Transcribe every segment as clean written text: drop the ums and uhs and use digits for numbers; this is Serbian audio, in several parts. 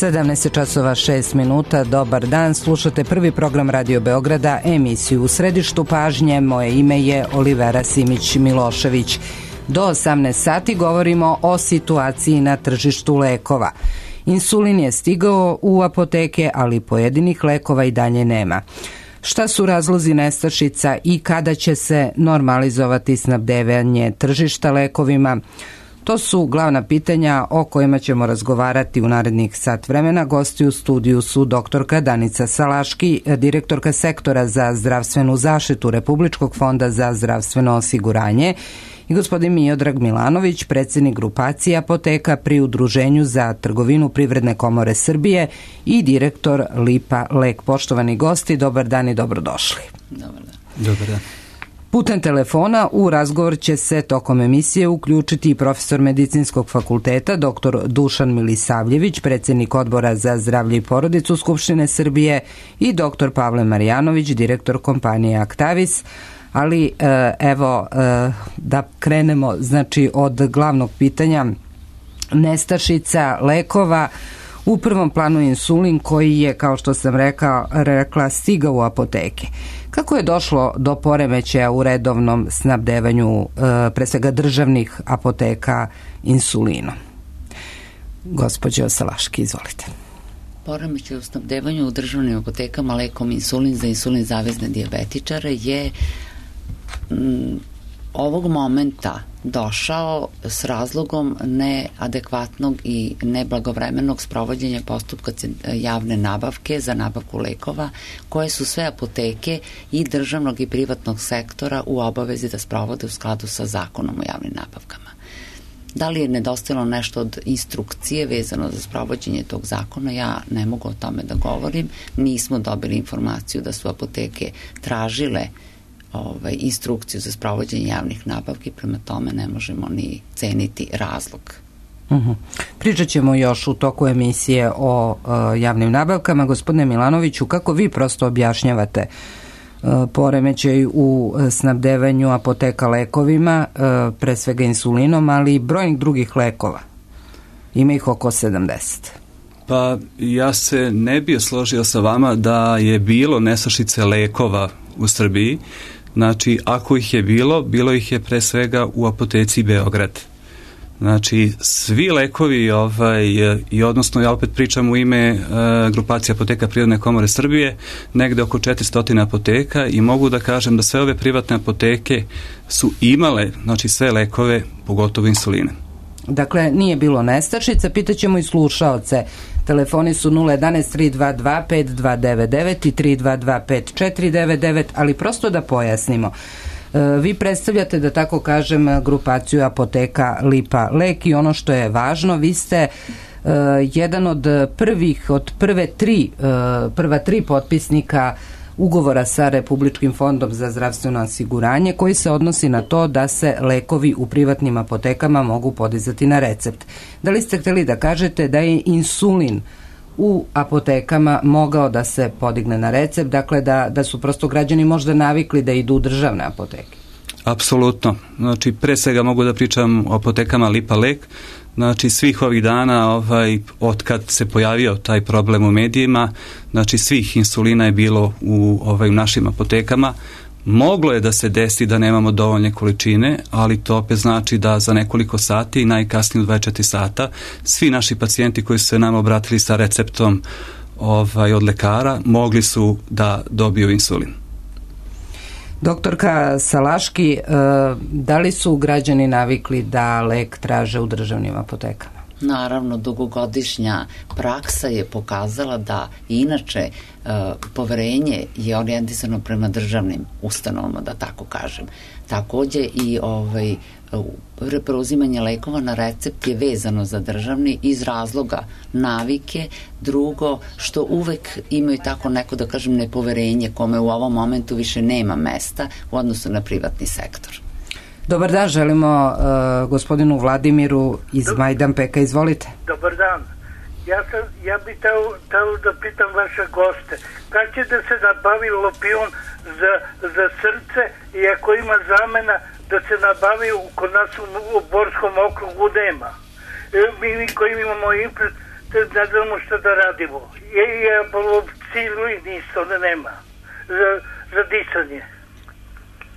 17 časova 6 minuta, dobar dan, slušate prvi program Radio Beograda, emisiju U središtu pažnje, moje ime je Olivera Simić-Milošević. Do 18 sati govorimo o situaciji na tržištu lekova. Insulin je stigao u apoteke, ali pojedinih lekova i dalje nema. Šta su razlozi nestašica i kada će se normalizovati snabdevanje tržišta lekovima? To su glavna pitanja o kojima ćemo razgovarati u narednih sat vremena. Gosti u studiju su doktorka Danica Salaški, direktorka sektora za zdravstvenu zaštitu Republičkog fonda za zdravstveno osiguranje, i gospodin Miodrag Milanović, predsjednik grupacije apoteka pri Udruženju za trgovinu Privredne komore Srbije i direktor Lipa Lek. Poštovani gosti, dobar dan i dobrodošli. Dobar dan. Dobar dan. Putem telefona u razgovor će se tokom emisije uključiti i profesor Medicinskog fakulteta dr. Dušan Milisavljević, predsjednik Odbora za zdravlje i porodicu Skupštine Srbije, i dr. Pavle Marjanović, direktor kompanije Actavis. Ali evo da krenemo znači od glavnog pitanja nestašica lekova. U prvom planu insulin koji je, kao što sam rekla, stigao u apoteke. Kako je došlo do poremećaja u redovnom snabdevanju pre svega državnih apoteka insulinom? Gospođo Salaški, izvolite. Poremećaj u snabdevanju u državnim apotekama lekom insulin za insulin zavezne dijabetičare je ovog momenta došao s razlogom neadekvatnog i neblagovremenog sprovođenja postupka javne nabavke za nabavku lekova, koje su sve apoteke i državnog i privatnog sektora u obavezi da sprovode u skladu sa zakonom o javnim nabavkama. Da li je nedostajalo nešto od instrukcije vezano za sprovođenje tog zakona, ja ne mogu o tome da govorim. Nismo dobili informaciju da su apoteke tražile instrukciju za sprovođenje javnih nabavki, prema tome ne možemo ni ceniti razlog. Pričat ćemo još u toku emisije o javnim nabavkama. Gospodine Milanoviću, kako vi prosto objašnjavate poremećaj u snabdevanju apoteka lekovima, pre svega insulinom, ali i brojnih drugih lekova? Ima ih oko 70. Pa ja se ne bih složio sa vama da je bilo nestašice lekova u Srbiji. Znači, ako ih je bilo ih je pre svega u apoteci Beograd. Znači, svi lekovi, i odnosno ja opet pričam u ime grupacije apoteka Privredne komore Srbije, negde oko 400 apoteka, i mogu da kažem da sve ove privatne apoteke su imale, znači, sve lekove, pogotovo insuline. Dakle, nije bilo nestašica. Pitaćemo i slušaoce. Telefoni su 011-322-5299 i 322-5499, ali prosto da pojasnimo. Vi predstavljate, da tako kažem, grupaciju apoteka Lipa Lek, i ono što je važno, vi ste jedan od prva tri potpisnika ugovora sa Republičkim fondom za zdravstveno osiguranje, koji se odnosi na to da se lekovi u privatnim apotekama mogu podizati na recept. Da li ste hteli da kažete da je insulin u apotekama mogao da se podigne na recept, dakle da su prosto građani možda navikli da idu u državne apoteke? Apsolutno. Znači, pre svega mogu da pričam o apotekama Lipa Lek. Znači, svih ovih dana, od kad se pojavio taj problem u medijima, znači svih insulina je bilo u našim apotekama. Moglo je da se desi da nemamo dovoljne količine, ali to opet znači da za nekoliko sati i najkasnije u 24 sata svi naši pacijenti koji su se nam obratili sa receptom od lekara mogli su da dobiju insulin. Doktorka Salaški, da li su građani navikli da lek traže u državnim apotekama? Naravno, dugogodišnja praksa je pokazala da inače poverenje je orijentisano prema državnim ustanovama, da tako kažem. Takođe i preuzimanje lekova na recept je vezano za državni iz razloga navike, drugo što uvek imaju tako neko, da kažem, nepoverenje kome u ovom momentu više nema mesta u odnosu na privatni sektor. Dobar dan, želimo gospodinu Vladimiru iz Majdanpeka, izvolite. Dobar dan. Ja bih teo da pitam vaše goste, kad će da se nabavi lopion za srce, i ako ima zamena da se nabavi kod nas u Borskom okrugu nema. Mi koji imamo ne znamo što da radimo. I apolopsilu i nisto da nema za disanje.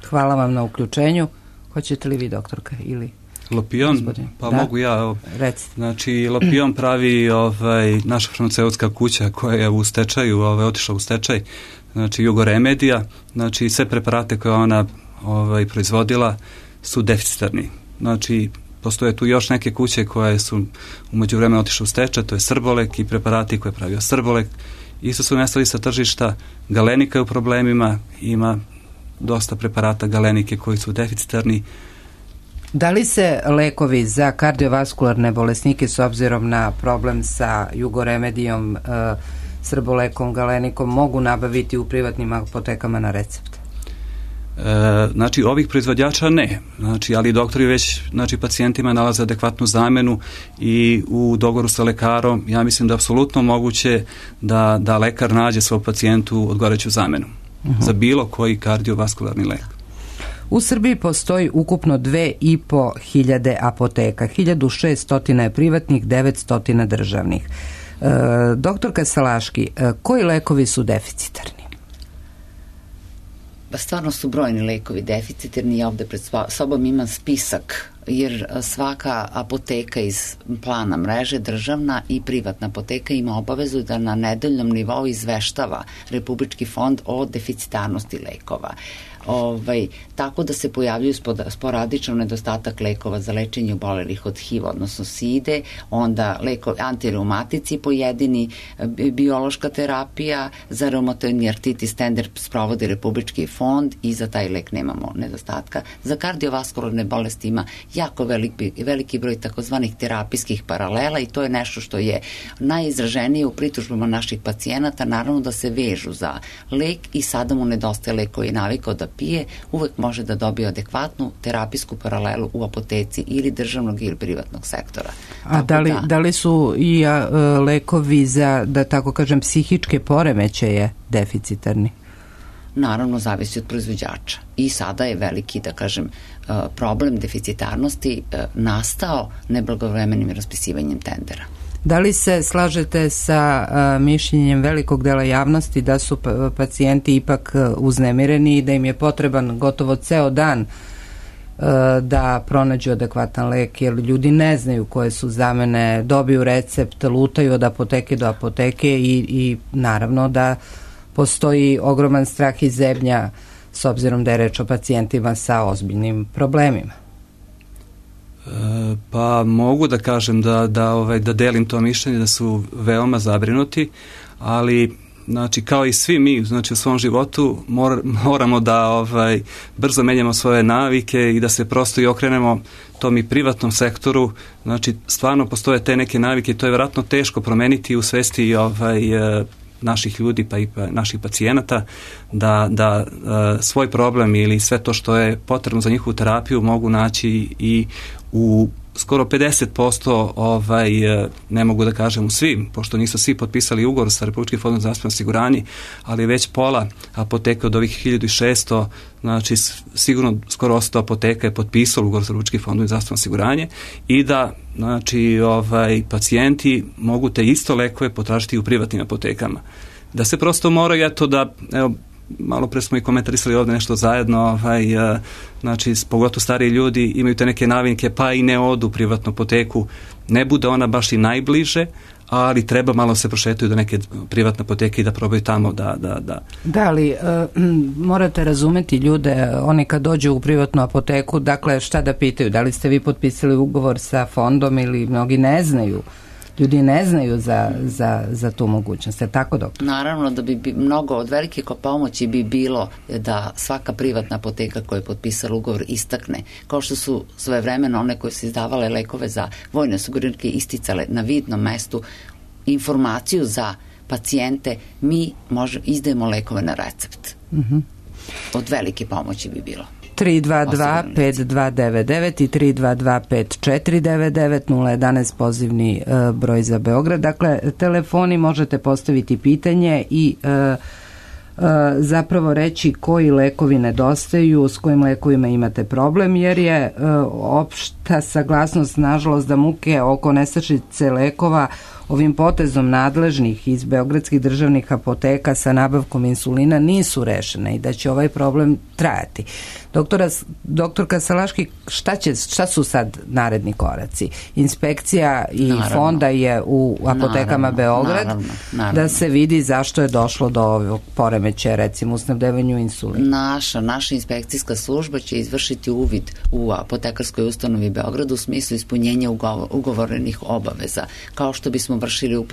Hvala vam na uključenju. Hoćete li vi, doktorka, ili... Lopion, gospodin? pa Da? mogu ja. Recite. Znači, Lopion pravi naša farmaceutska kuća koja je u stečaju, otišla u stečaj, znači Jugoremedija, znači sve preparate koje ona proizvodila su deficitarni. Znači, postoje tu još neke kuće koje su u međuvremenu otišle u stečaj, to je Srbolek i preparati koje je pravio Srbolek. Isto su nestali sa tržišta, Galenika je u problemima, ima dosta preparata Galenike koji su deficitarni. Da li se lekovi za kardiovaskularne bolesnike s obzirom na problem sa Jugoremedijom, Srbolekom, Galenikom mogu nabaviti u privatnim apotekama na recept? Znači, ovih proizvođača ne. Znači, ali doktori već pacijentima nalaze adekvatnu zamenu i u dogovoru sa lekarom ja mislim da je apsolutno moguće da lekar nađe svom pacijentu odgovarajuću zamenu za bilo koji kardiovaskularni lek. U Srbiji postoji ukupno 2.500 apoteka, 1.600 je privatnih, 900 državnih. Doktorka Salaški, koji lekovi su deficitarni? Stvarno su brojni lekovi deficitarni. Ja ovde pred sobom imam spisak, jer svaka apoteka iz plana mreže, državna i privatna apoteka, ima obavezu da na nedeljnom nivou izveštava Republički fond o deficitarnosti lekova. Tako da se pojavljuju sporadično nedostatak lekova za lečenje obolelih od HIV-a, odnosno SIDE, onda antireumatici pojedini, biološka terapija, za reumatoidni artritis tender sprovodi Republički fond i za taj lek nemamo nedostatka. Za kardiovaskularne bolesti ima jako veliki broj takozvanih terapijskih paralela i to je nešto što je najizraženije u pritužbama naših pacijenata, naravno da se vežu za lek i sada mu nedostaje lek koji je navikao da pije, uvek može da dobije adekvatnu terapijsku paralelu u apoteci ili državnog ili privatnog sektora. A da li su i lekovi za, da tako kažem, psihičke poremećaje deficitarni? Naravno, zavisi od proizvođača. I sada je veliki, da kažem, problem deficitarnosti nastao neblagovremenim raspisivanjem tendera. Da li se slažete sa mišljenjem velikog dela javnosti da su pacijenti ipak uznemireni i da im je potreban gotovo ceo dan da pronađu adekvatan lek, jer ljudi ne znaju koje su zamene, dobiju recept, lutaju od apoteke do apoteke i naravno da postoji ogroman strah i zebnja s obzirom da je reč o pacijentima sa ozbiljnim problemima? Pa mogu da kažem da delim to mišljenje, da su veoma zabrinuti, ali znači kao i svi mi, znači u svom životu moramo da brzo menjamo svoje navike i da se prosto i okrenemo tom i privatnom sektoru. Znači stvarno postoje te neke navike i to je vjerojatno teško promeniti u svesti naših ljudi pa i naših pacijenata da svoj problem ili sve to što je potrebno za njihovu terapiju mogu naći i u skoro 50%, ne mogu da kažem u svim, pošto nisu svi potpisali ugovor sa Republičkim fondom za zdravstveno osiguranje, ali već pola apoteka od ovih 1600, znači sigurno skoro 100 apoteka je potpisalo ugovor sa Republičkim fondom za zdravstveno osiguranje i da znači pacijenti mogu te isto lekove potražiti u privatnim apotekama. Da se prosto moraju, eto da, evo, malo pre smo i komentarisali ovdje nešto zajedno, znači pogotovo stariji ljudi imaju te neke navike pa i ne odu u privatnu apoteku, ne bude ona baš i najbliže, ali treba malo se prošetaju do neke privatne apoteke i da probaju tamo Da, ali morate razumeti ljude, oni kad dođu u privatnu apoteku, dakle šta da pitaju, da li ste vi potpisali ugovor sa fondom ili mnogi ne znaju. Ljudi ne znaju za tu mogućnost, je tako, doktor? Naravno da bi mnogo od velike pomoći bi bilo da svaka privatna apoteka koja je potpisala ugovor istakne, kao što su svojevremeno one koje su izdavale lekove za vojne osiguranike isticale na vidnom mestu informaciju za pacijente, mi izdajemo lekove na recept. Od velike pomoći bi bilo. 322-5299 i 322-5499 011 pozivni broj za Beograd. Dakle, telefoni, možete postaviti pitanje i zapravo reći koji lekovi nedostaju, s kojim lekovima imate problem, jer je opšta saglasnost, nažalost, da muke oko nestašice lekova ovim potezom nadležnih iz beogradskih državnih apoteka sa nabavkom insulina nisu rešene i da će ovaj problem trajati. Doktorka Salaški, šta su sad naredni koraci? Inspekcija i fonda je u apotekama Beograd da se vidi zašto je došlo do ovog poremećaja, recimo u snabdevanju insulina. Naša inspekcijska služba će izvršiti uvid u apotekarskoj ustanovi Beogradu u smislu ispunjenja ugovorenih obaveza, kao što bismo vršili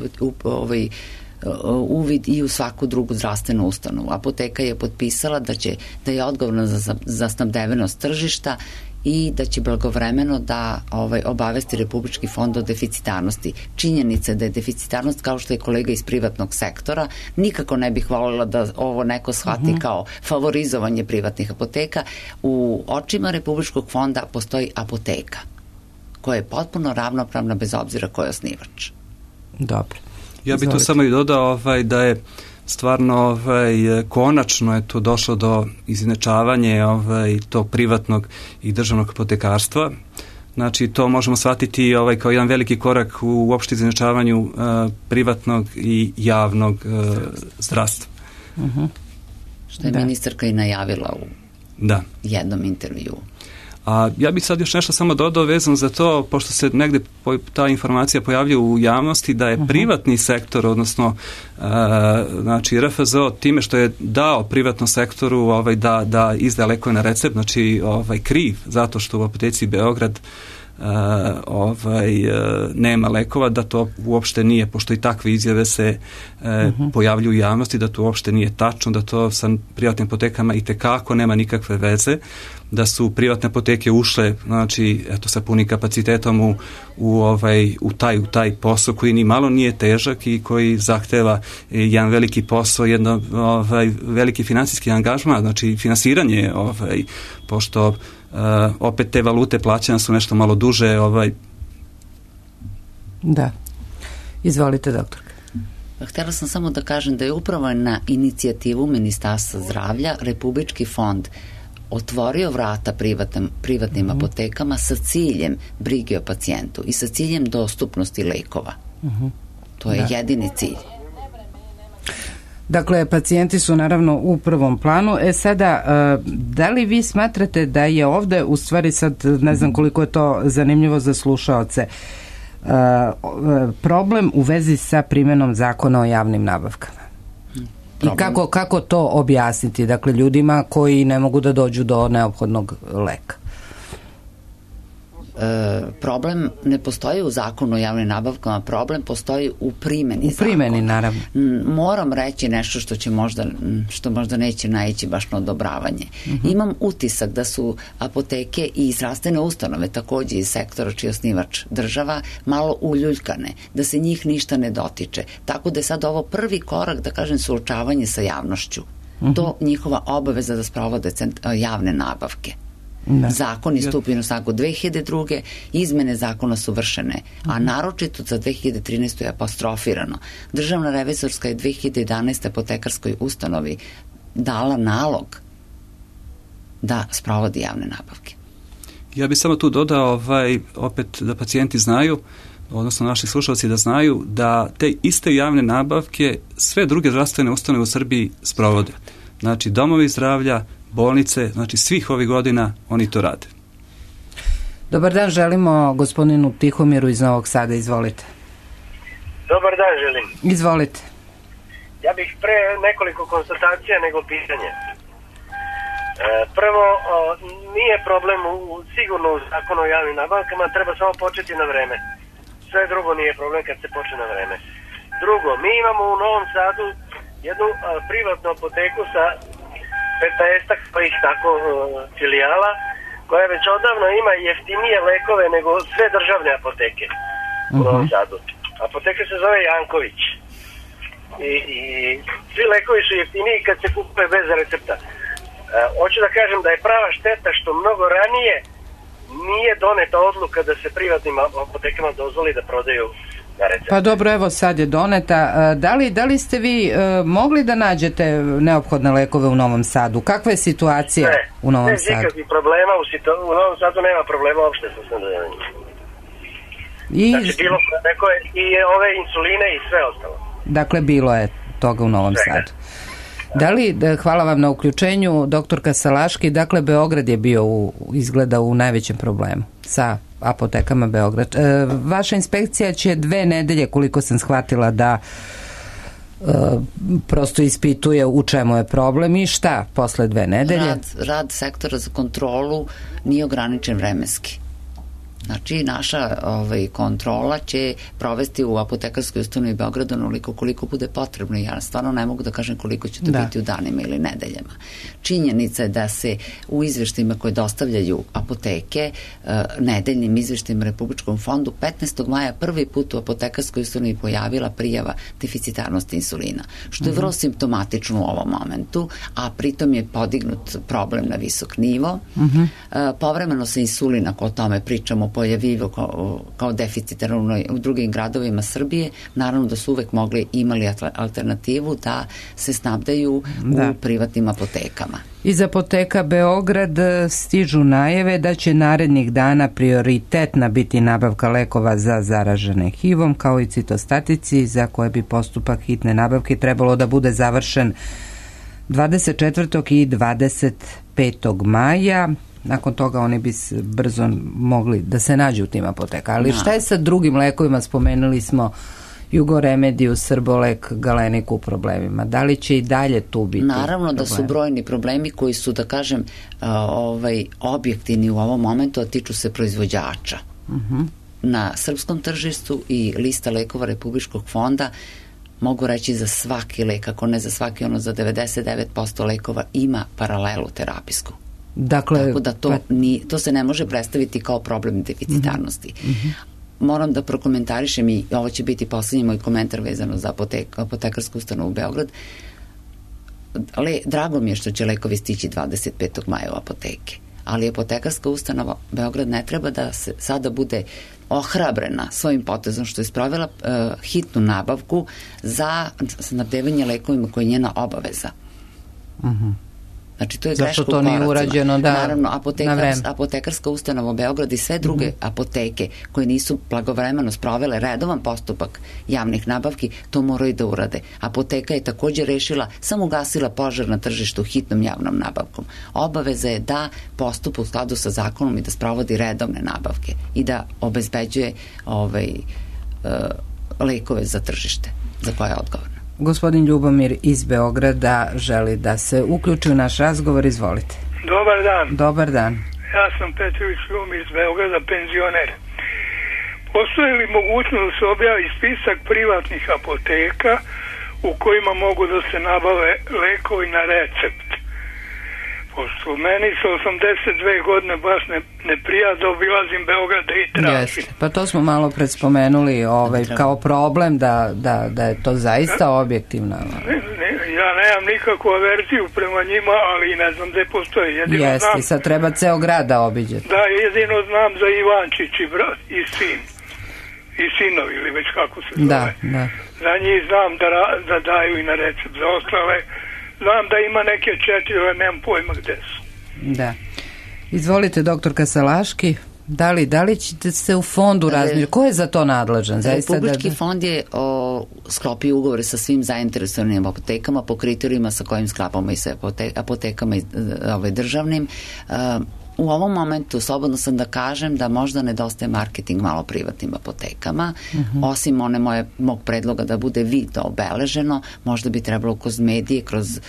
uvid i u svaku drugu zdravstvenu ustanovu. Apoteka je potpisala da je odgovorna za snabdevenost tržišta i da će blagovremeno da obavesti Republički fond o deficitarnosti. Činjenica da je deficitarnost, kao što je kolega iz privatnog sektora, nikako ne bih voljela da ovo neko shvati kao favorizovanje privatnih apoteka. U očima Republičkog fonda postoji apoteka koja je potpuno ravnopravna bez obzira ko je osnivač. Dobro. Ja bih tu samo i dodao da je stvarno konačno je tu došlo do izjednačavanja tog privatnog i državnog apotekarstva. Znači to možemo shvatiti kao jedan veliki korak u uopšte izjednačavanju privatnog i javnog zdravstva. Što je ministarka i najavila u jednom intervjuu. A ja bih sad još nešto samo dodao vezano za to, pošto se negde ta informacija pojavlja u javnosti, da je privatni sektor, odnosno znači RFZO, time što je dao privatnom sektoru da izda lekove na recept, znači kriv zato što u apoteci Beograd nema lekova, da to uopšte nije, pošto i takve izjave se pojavljuju u javnosti, da to uopšte nije tačno, da to sa privatnim apotekama itekako nema nikakve veze, da su privatne apoteke ušle, znači, sa punim kapacitetom u taj posao koji ni malo nije težak i koji zahteva jedan veliki posao, jedno veliki finansijski angažman, znači finansiranje, pošto opet te valute plaćanja su nešto malo duže. Da. Izvolite, doktorka. Htjela sam samo da kažem da je upravo na inicijativu Ministarstva zdravlja Republički fond otvorio vrata privatnim apotekama sa ciljem brige o pacijentu i sa ciljem dostupnosti lekova. To je jedini cilj. Dakle, pacijenti su naravno u prvom planu. Sada, da li vi smatrate da je ovde, u stvari sad ne znam koliko je to zanimljivo za slušaoce, problem u vezi sa primjenom zakona o javnim nabavkama? I kako to objasniti, dakle, ljudima koji ne mogu da dođu do neophodnog leka? Problem ne postoji u zakonu o javnim nabavkama, problem postoji u primjeni zakona. U primjeni, naravno. Moram reći nešto što možda neće naići baš na odobravanje. Imam utisak da su apoteke i zdravstvene ustanove, takođe iz sektora čiji je osnivač država, malo uljuljkane, da se njih ništa ne dotiče. Tako da je sad ovo prvi korak, da kažem, suočavanje sa javnošću. To njihova obaveza da sprovode javne nabavke. Zakon je stupio na snagu 2002. Izmene zakona su vršene, a naročito za 2013. je apostrofirano. Državna revizorska je 2011. apotekarskoj ustanovi dala nalog da sprovodi javne nabavke. Ja bih samo tu dodao opet da pacijenti znaju, odnosno naši slušalci da znaju da te iste javne nabavke sve druge zdravstvene ustanove u Srbiji sprovode. Znači domovi zdravlja, bolnice, znači svih ovih godina oni to rade. Dobar dan, želimo gospodinu Tihomiru iz Novog Sada, izvolite. Dobar dan želim. Izvolite. Ja bih pre nekoliko konstatacija nego pitanje. Prvo, nije problem sigurno u zakonu o javnim nabavkama, treba samo početi na vreme. Sve drugo nije problem kad se počne na vreme. Drugo, mi imamo u Novom Sadu jednu privatnu apoteku sa 15-ak tako filijala, koja već odavno ima jeftinije lekove nego sve državne apoteke u Novom Sadu. Apoteka se zove Janković. I svi lekovi su jeftiniji kad se kupuje bez recepta. Hoću da kažem da je prava šteta što mnogo ranije nije doneta odluka da se privatnim apotekama dozvoli da prodaju na recept. Pa dobro, evo sad je doneta. Da li ste vi mogli da nađete neophodne lekove u Novom Sadu? Kakva je situacija u Novom Sadu? Bez ikakvih problema, u Novom Sadu nema problema uopšte sa snabdevanjem. Znači bilo neko i ove insuline i sve ostalo. Dakle, bilo je toga u Novom Sadu. Da li, hvala vam na uključenju, doktorka Salaški, dakle Beograd je bio izgleda u najvećem problemu sa apotekama Beograd. Vaša inspekcija će 2 nedelje, koliko sam shvatila, da prosto ispituje u čemu je problem i šta posle 2 nedelje? Rad sektora za kontrolu nije ograničen vremenski. Znači, naša kontrola će provesti u apotekarskoj ustanovi Beograda onoliko koliko bude potrebno. Ja stvarno ne mogu da kažem koliko će to biti u danima ili nedeljama. Činjenica je da se u izveštajima koje dostavljaju apoteke, nedeljnim izveštajima Republičkom fondu, 15. maja prvi put u apotekarskoj ustanovi pojavila prijava deficitarnosti insulina, što je vrlo simptomatično u ovom momentu, a pritom je podignut problem na visok nivo. Povremeno se insulin, ako o tome pričamo, pojavio kao deficitarno u drugim gradovima Srbije, naravno da su uvek imali alternativu da se snabdaju u privatnim apotekama. Iz apoteka Beograd stižu najave da će narednih dana prioritetna biti nabavka lekova za zaražene HIV-om, kao i citostatici, za koje bi postupak hitne nabavke trebalo da bude završen 24. i 25. maja. Nakon toga oni bi brzo mogli da se nađu u tim apoteka. Ali šta je sa drugim lekovima? Spomenuli smo Jugoremediju, Srbolek, Galeniku u problemima. Da li će i dalje tu biti Naravno da su brojni problemi koji su, da kažem, objektivni u ovom momentu, a tiču se proizvođača. Na srpskom tržištu i lista lekova Republičkog fonda, mogu reći za svaki lek, ako ne za svaki, ono za 99% lekova ima paralelu terapijsku. Dakle, tako da to se ne može predstaviti kao problem deficitarnosti. Moram da prokomentarišem, i ovo će biti poslednji moj komentar vezano za apotekarsku ustanovu Beograd. Drago mi je što će lekovi stići 25. maja u apoteke, ali apotekarska ustanova Beograd ne treba da se sada bude ohrabrena svojim potezom što je sprovela hitnu nabavku za snabdevanje lekovima koje je njena obaveza. Znači, to je greška u koracima. Zašto to nije urađeno? Naravno, apotekarska ustanova Beograd i sve druge apoteke koje nisu blagovremeno sprovele redovan postupak javnih nabavki, to moraju da urade. Apoteka je također rešila, samo ugasila požar na tržištu hitnom javnom nabavkom. Obaveza je da postupa u skladu sa zakonom i da sprovodi redovne nabavke i da obezbeđuje lekove za tržište za koje je odgovorna. Gospodin Ljubomir iz Beograda želi da se uključi u naš razgovor. Izvolite. Dobar dan. Dobar dan. Ja sam Petrović Ljubomir iz Beograda, penzioner. Postoji li mogućnost da se objavi spisak privatnih apoteka u kojima mogu da se nabave lekovi na recept? Pošto meni sa 82 godine baš ne prija da obilazim Beograd i tražim. Pa to smo malo pred spomenuli kao problem da je to zaista objektivno. Ja nemam nikakvu averziju prema njima, ali ne znam gde postoje. Jeste, sad treba ceo grad da obiđete. Da, jedino znam za Ivančić i sin. I sinovi, ili već kako se zove. Da. Za njih znam da daju i na recept. Za ostale znam da ima neke 4, ali nemam pojma gde su. Da. Izvolite, doktorka Salaški. Da li ćete se u fondu razmišljati? Ko je za to nadležan? Republički fond je sklopio ugovore sa svim zainteresovanim apotekama po kriterijima sa kojim sklapamo i sa apotekama državnim. U ovom momentu slobodno sam da kažem da možda nedostaje marketing malo privatnim apotekama, osim mog predloga da bude vidno obeleženo, možda bi trebalo kroz medije, kroz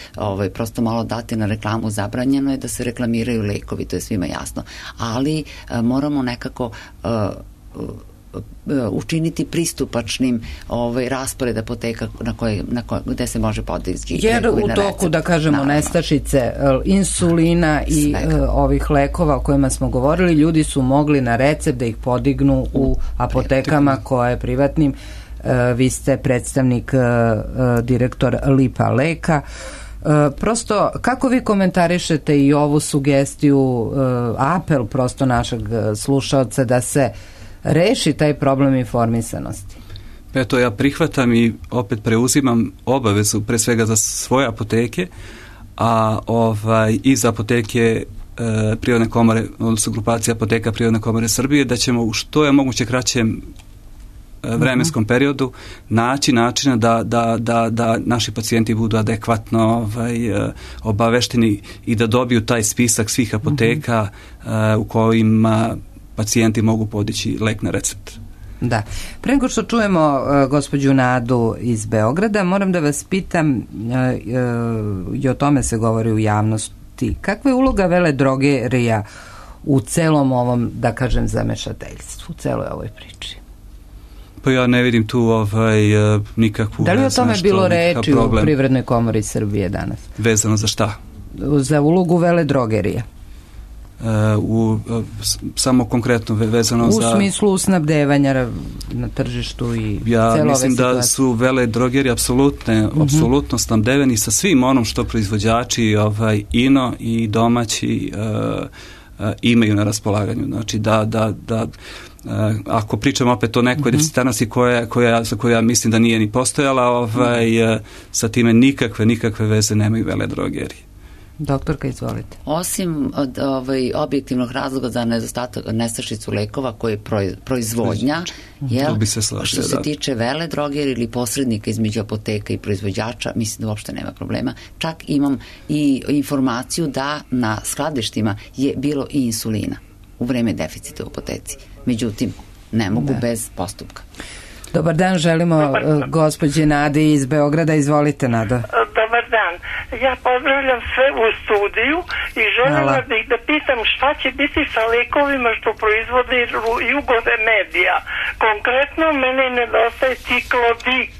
prosto malo dati na reklamu, zabranjeno je da se reklamiraju lekovi, to je svima jasno, ali moramo nekako učiniti pristupačnim raspored apoteka gde se može podići. Jer u toku, da kažemo, nestašice insulina i ovih lekova o kojima smo govorili, ljudi su mogli na recept da ih podignu u apotekama koje privatnim. Vi ste predstavnik, direktor Lipa Leka. Prosto, kako vi komentarišete i ovu sugestiju, apel prosto našeg slušaoca da se reši taj problem informisanosti? Eto, ja prihvatam i opet preuzimam obavezu pre svega za svoje apoteke, a i za apoteke Prirodne komore, odnosno grupacija apoteka Prirodne komore Srbije, da ćemo u što je moguće kraćem vremenskom periodu naći načina da naši pacijenti budu adekvatno obavešteni i da dobiju taj spisak svih apoteka u kojima pacijenti mogu podići lek na recept. Da. Pre nego što čujemo gospođu Nadu iz Beograda, moram da vas pitam, i o tome se govori u javnosti, kakva je uloga veledrogerija u celom ovom, da kažem, zamešateljstvu, u celoj ovoj priči? Pa ja ne vidim tu nikakvu... Da li o tome bilo reči u Privrednoj komori Srbije danas? Vezano za šta? Za ulogu veledrogerija. Samo konkretno vezano za... U smislu snabdevanja na tržištu i ja mislim da su veledrogeri apsolutno snabdeveni sa svim onom što proizvođači ino i domaći imaju na raspolaganju. Znači da ako pričamo opet o nekoj deficitarnosti za koju ja mislim da nije ni postojala, sa time nikakve veze nemaju veledrogeri. Doktorka, izvolite. Osim od objektivnog razloga za nestašicu lekova koje je proizvodnja, što se tiče veledrogera ili posrednika između apoteka i proizvođača, mislim da uopšte nema problema. Čak imam i informaciju da na skladištima je bilo i insulina u vreme deficita u apoteci. Međutim, ne mogu bez postupka. Dobar dan, želimo gospođi Nadi iz Beograda. Izvolite, Nado. Dobar dan. Ja pozdravljam sve u studiju i željela bih da pitam šta će biti sa lekovima što proizvode Jugove Medija. Konkretno, mene nedostaje ciklodik.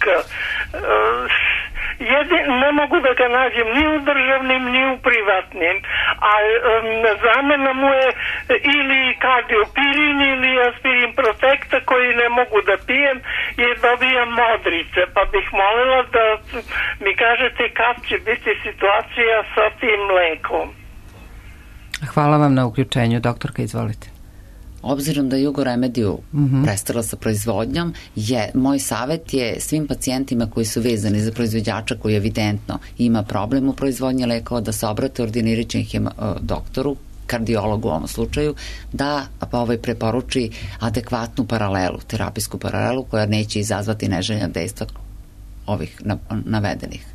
Ne mogu da ga nađem ni u državnim, ni u privatnim, a zamena mu je ili kardiopirin ili aspirin protekta koji ne mogu da pijem jer dobijam modrice, pa bih molila da mi kažete kad će biti situacija sa tim lekom. Hvala vam na uključenju, doktorka, izvolite. Obzirom da Jugoremediju prestala sa proizvodnjom, moj savjet je svim pacijentima koji su vezani za proizvođača koji evidentno ima problem u proizvodnji lekova da se obrate ordinirajućem doktoru, kardiologu u ovom slučaju, da preporuči adekvatnu paralelu, terapijsku paralelu koja neće izazvati neželjena dejstva ovih navedenih.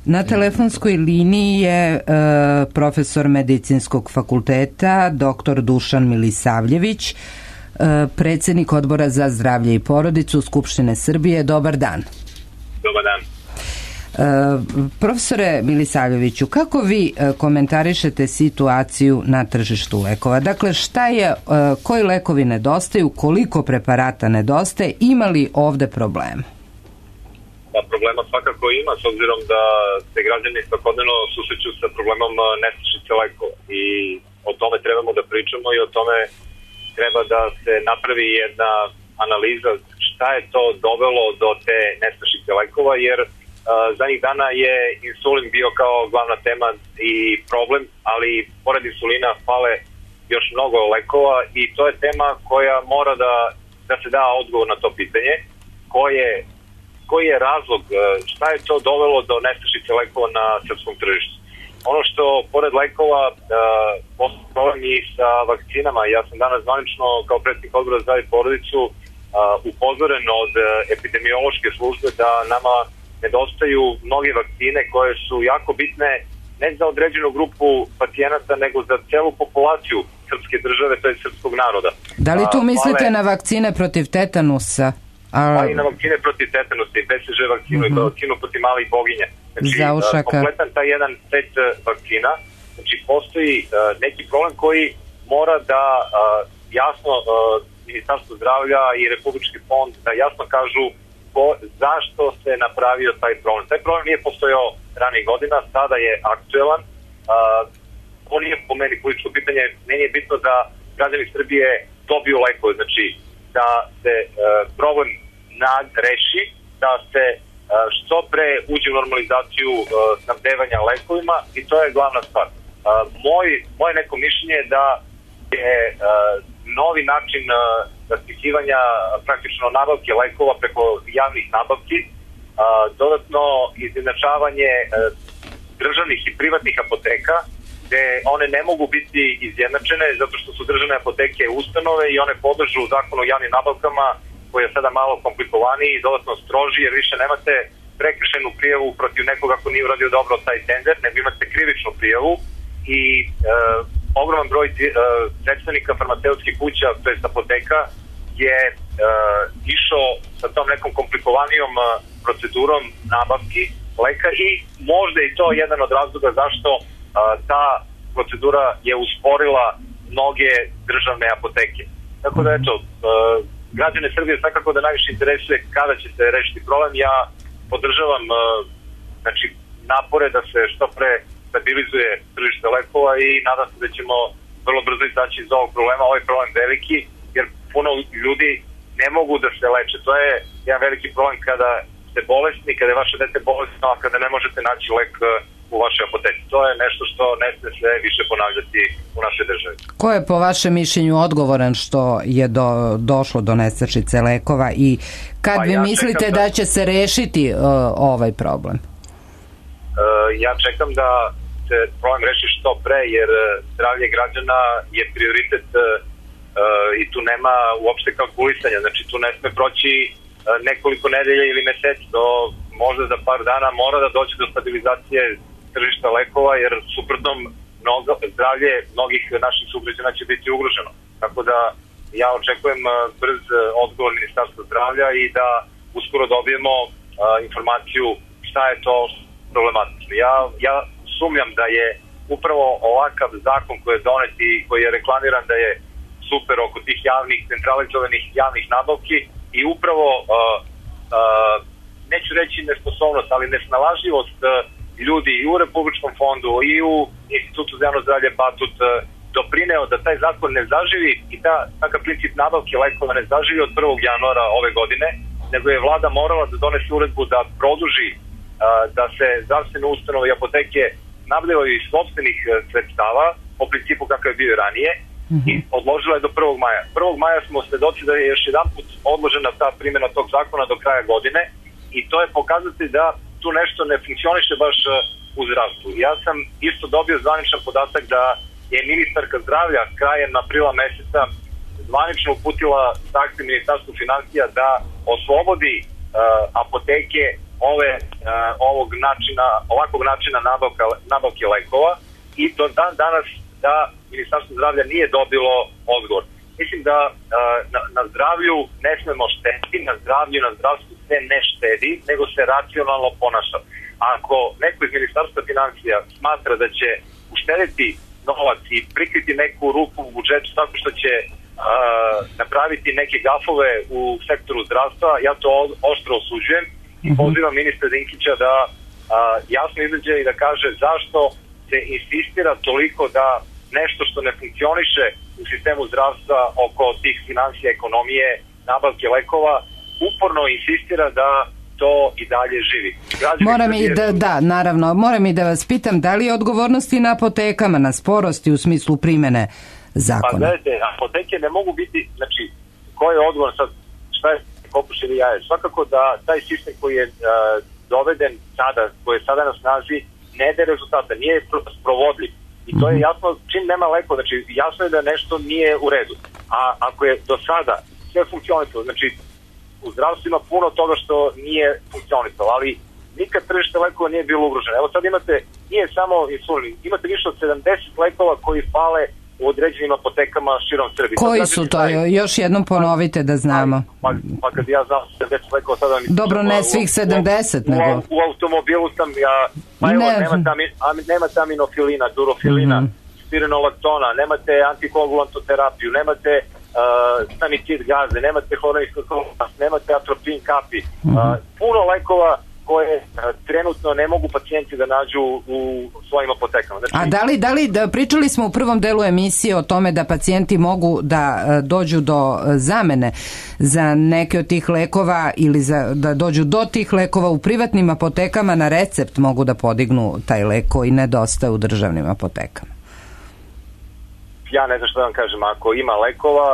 Na telefonskoj liniji je profesor Medicinskog fakulteta dr. Dušan Milisavljević, predsjednik Odbora za zdravlje i porodicu Skupštine Srbije. Dobar dan. Dobar dan. Profesore Milisavljeviću, kako vi komentarišete situaciju na tržištu lekova? Dakle, koji lekovi nedostaju, koliko preparata nedostaje, ima li ovde problem? Problema svakako ima, s obzirom da se građani svakodnevno susreću sa problemom nestašice lekova i o tome trebamo da pričamo i o tome treba da se napravi jedna analiza šta je to dovelo do te nestašice lekova, jer zadnjih dana je insulin bio kao glavna tema i problem, ali pored insulina fale još mnogo lekova i to je tema koja mora da se da odgovor na to pitanje, koji je razlog, šta je to dovelo do nestašice lekova na srpskom tržištu. Ono što, pored lekova, problem i sa vakcinama. Ja sam danas zvanično, kao predsjednik Odbora za zdravlje i porodicu, upozoren od epidemiološke službe da nama nedostaju mnoge vakcine koje su jako bitne ne za određenu grupu pacijenata, nego za celu populaciju srpske države, to je srpskog naroda. Da li tu mislite na vakcine protiv tetanusa? Pa i na vakcine protiv tetanusa, i BCG vakcinu, i vakcinu protiv malih boginja. Znači, kompletan taj jedan set vakcina, znači postoji neki problem koji mora da jasno Ministarstvo zdravlja i Republički fond da jasno kažu zašto se napravio taj problem. Taj problem nije postojao ranih godina, sada je aktuelan. On nije po meni političko pitanje, meni je bitno da građani Srbije dobiju lekove, znači da se problem reši, da se što pre uđe u normalizaciju snabdevanja lekovima i to je glavna stvar. Moje neko mišljenje je da je novi način raspisivanja praktično nabavke lekova preko javnih nabavki, dodatno izjednačavanje državnih i privatnih apoteka gde one ne mogu biti izjednačene zato što su državne apoteke ustanove i one podležu zakonu o javnim nabavkama koji je sada malo komplikovaniji i dodatno stroži, jer više nemate prekršajnu prijavu protiv nekoga ako nije uradio dobro taj tender, nego imate krivičnu prijavu i ogroman broj predstavnika farmaceutskih kuća, to jest apoteka, je išao sa tom nekom komplikovanijom procedurom nabavki leka i možda i to jedan od razloga zašto ta procedura je usporila mnoge državne apoteke. Tako da eto, građane Srbije svakako da najviše interesuje kada će se rešiti problem. Ja podržavam znači, napore da se što pre stabilizuje tržište lekova i nadam se da ćemo vrlo brzo izaći iz ovog problema. Ovaj problem je veliki jer puno ljudi ne mogu da se leče. To je jedan veliki problem kada ste bolesni, kada je vaše dete bolesno, a kada ne možete naći lek u vašoj apoteci. To je nešto što ne sme se više ponavljati u našoj državi. Ko je po vašem mišljenju odgovoran što je došlo do nestašice lekova i kad vi mislite da će se rešiti ovaj problem? Ja čekam da se problem reši što pre, jer zdravlje građana je prioritet i tu nema uopšte kalkulisanja. Znači tu ne sme proći nekoliko nedelja ili meseci, to možda za par dana mora da dođe do stabilizacije tržišta lekova, jer suprotnom zdravlje mnogih naših sugrađana će biti ugroženo. Tako da ja očekujem brz odgovor Ministarstva zdravlja i da uskoro dobijemo informaciju šta je to problematično. Ja sumnjam da je upravo ovakav zakon koji je donet i koji je reklamiran da je super oko tih javnih, centralizovanih javnih nabavki i upravo neću reći nesposobnost, ali nesnalažljivost ljudi i u Republičkom fondu i u Institutu za javno zdravlje Batut doprineo da taj zakon ne zaživi i takav princip nabavke lekova ne zaživi od 1. januara ove godine, nego je vlada morala da donese uredbu da produži da se zdravstvene ustanove i apoteke nabavljaju iz sopstvenih sredstava po principu kakav je bio ranije i odložila je do 1. maja. 1. maja smo svedoci da je još jedan put odložena ta primjena tog zakona do kraja godine i to je pokazati da tu nešto ne funkcioniše baš u zdravstvu. Ja sam isto dobio zvaničan podatak da je ministarka zdravlja krajem aprila meseca zvanično uputila zahtev Ministarstvu finansija da oslobodi apoteke ovakvog načina nabavke lekova i do dan danas da Ministarstvo zdravlja nije dobilo odgovor. Mislim da na zdravlju ne smemo štediti, na zdravstvu se ne štedi, nego se racionalno ponaša. Ako neko iz Ministarstva finansija smatra da će uštediti novac i prikriti neku rupu u budžetu tako što će napraviti neke gafove u sektoru zdravstva, ja to oštro osuđujem i pozivam ministra Dinkića da jasno izađe i da kaže zašto se insistira toliko da nešto što ne funkcioniše u sistemu zdravstva oko tih finansija, ekonomije, nabavke lekova, uporno insistira da to i dalje živi. Moram i da vas pitam, da li je odgovornosti na apotekama, na sporosti u smislu primene zakona? Pa gledajte, apoteke ne mogu biti, znači, ko je odgovoran sad, šta je kokoš ili jaje? Svakako da taj sistem koji je doveden sada, koji je sada na snazi, ne daje rezultata, nije sprovodljiv. I to je jasno, čim nema leko, znači jasno je da nešto nije u redu. A ako je do sada sve funkcionisalo, znači u zdravstvu ima puno toga što nije funkcionisalo, ali nikad tržište lekova nije bilo ugroženo. Evo sad imate, nije samo insulin, imate više od 70 lekova koji fale u određenim apotekama širom Srbije. Koji su to? Još jednom ponovite da znamo. Pa kad ja znam 70 lekova sada... Dobro, ne svih 70, nego... U automobilu sam ja... Pa evo, nemate aminofilina, durofilina, spironolaktona, nemate antikoagulantoterapiju, nemate stanicid gaze, nemate hloronistoklonas, nemate atropin kapi. Puno lekova koje trenutno ne mogu pacijenti da nađu u svojim apotekama. Znači, pričali smo u prvom delu emisije o tome da pacijenti mogu da dođu do zamene za neke od tih lekova ili da dođu do tih lekova u privatnim apotekama na recept mogu da podignu taj lek koji nedostaje u državnim apotekama. ja ne znam što da vam kažem, ako ima lekova,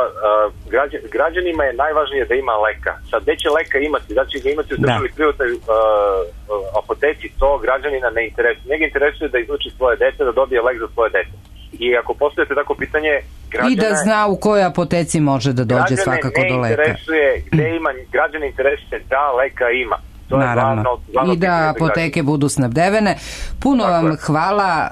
građanima je najvažnije da ima leka. Sad, gde će leka imati? Da će ga imati u državi privatnoj apoteci, to građanina ne interesuje. Njega interesuje da izluči svoje dete, da dobije lek za svoje dete. I ako postavite tako pitanje, i da zna u kojoj apoteci može da dođe svakako do leka. Građane ne interesuje gde ima, građane interesuje da leka ima. Naravno. I da apoteke budu snabdevene. Puno vam hvala.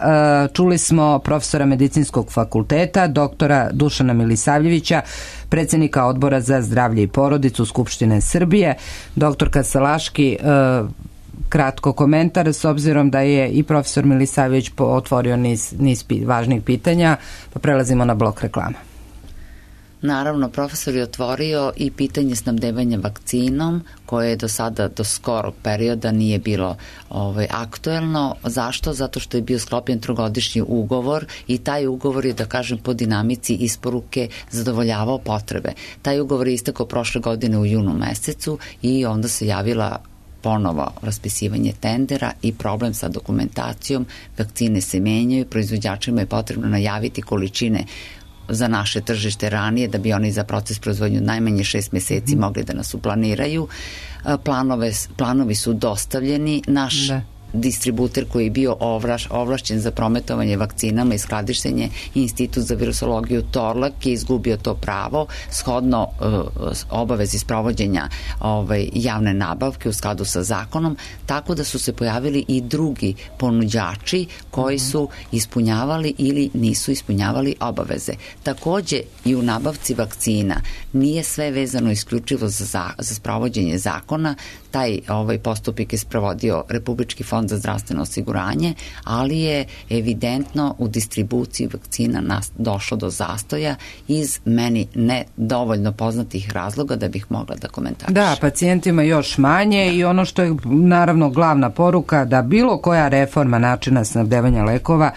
Čuli smo profesora Medicinskog fakulteta, doktora Dušana Milisavljevića, predsjednika Odbora za zdravlje i porodicu Skupštine Srbije. Doktorka Salaški, kratko komentar, s obzirom da je i profesor Milisavljević otvorio niz važnih pitanja, pa prelazimo na blok reklama. Naravno, profesor je otvorio i pitanje snabdevanja vakcinom, koje je do sada, do skorog perioda nije bilo aktuelno. Zašto? Zato što je bio sklopljen trogodišnji ugovor i taj ugovor je, da kažem, po dinamici isporuke zadovoljavao potrebe. Taj ugovor je istekao prošle godine u junu mesecu i onda se javila ponovo raspisivanje tendera i problem sa dokumentacijom. Vakcine se menjaju, proizvođačima je potrebno najaviti količine za naše tržište ranije, da bi oni za proces proizvodnju najmanje 6 meseci mogli da nas uplaniraju. Planovi su dostavljeni. Naš distributer koji je bio ovlašćen za prometovanje vakcinama i skladištenje, Institut za virusologiju Torlak, je izgubio to pravo shodno obavezi sprovođenja javne nabavke u skladu sa zakonom, tako da su se pojavili i drugi ponuđači koji su ispunjavali ili nisu ispunjavali obaveze. Takođe i u nabavci vakcina nije sve vezano isključivo za sprovođenje zakona. Taj postupak je sprovodio Republički fond za zdravstveno osiguranje, ali je evidentno u distribuciji vakcina došlo do zastoja iz meni ne dovoljno poznatih razloga da bih mogla da komentarišem. Da, pacijentima još manje i ono što je naravno glavna poruka, da bilo koja reforma načina snabdevanja lekova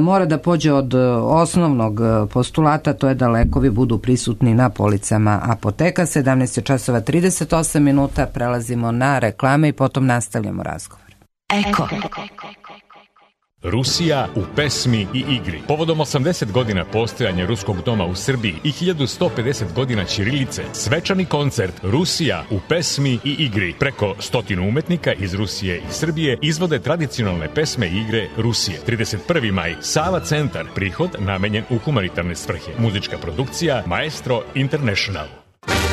mora da pođe od osnovnog postulata, to je da lekovi budu prisutni na policama apoteka. 17:38, prelazimo na reklame i potom nastavljamo razgovor. Eko. Rusija u pesmi i igri. Povodom 80 godina postojanja Ruskog doma u Srbiji i 1150 godina ćirilice, svečani koncert Rusija u pesmi i igri. Preko 100 umetnika iz Rusije i Srbije izvode tradicionalne pesme i igre Rusije. 31. maj, Sava centar, prihod namenjen u humanitarne svrhe. Muzička produkcija Maestro International.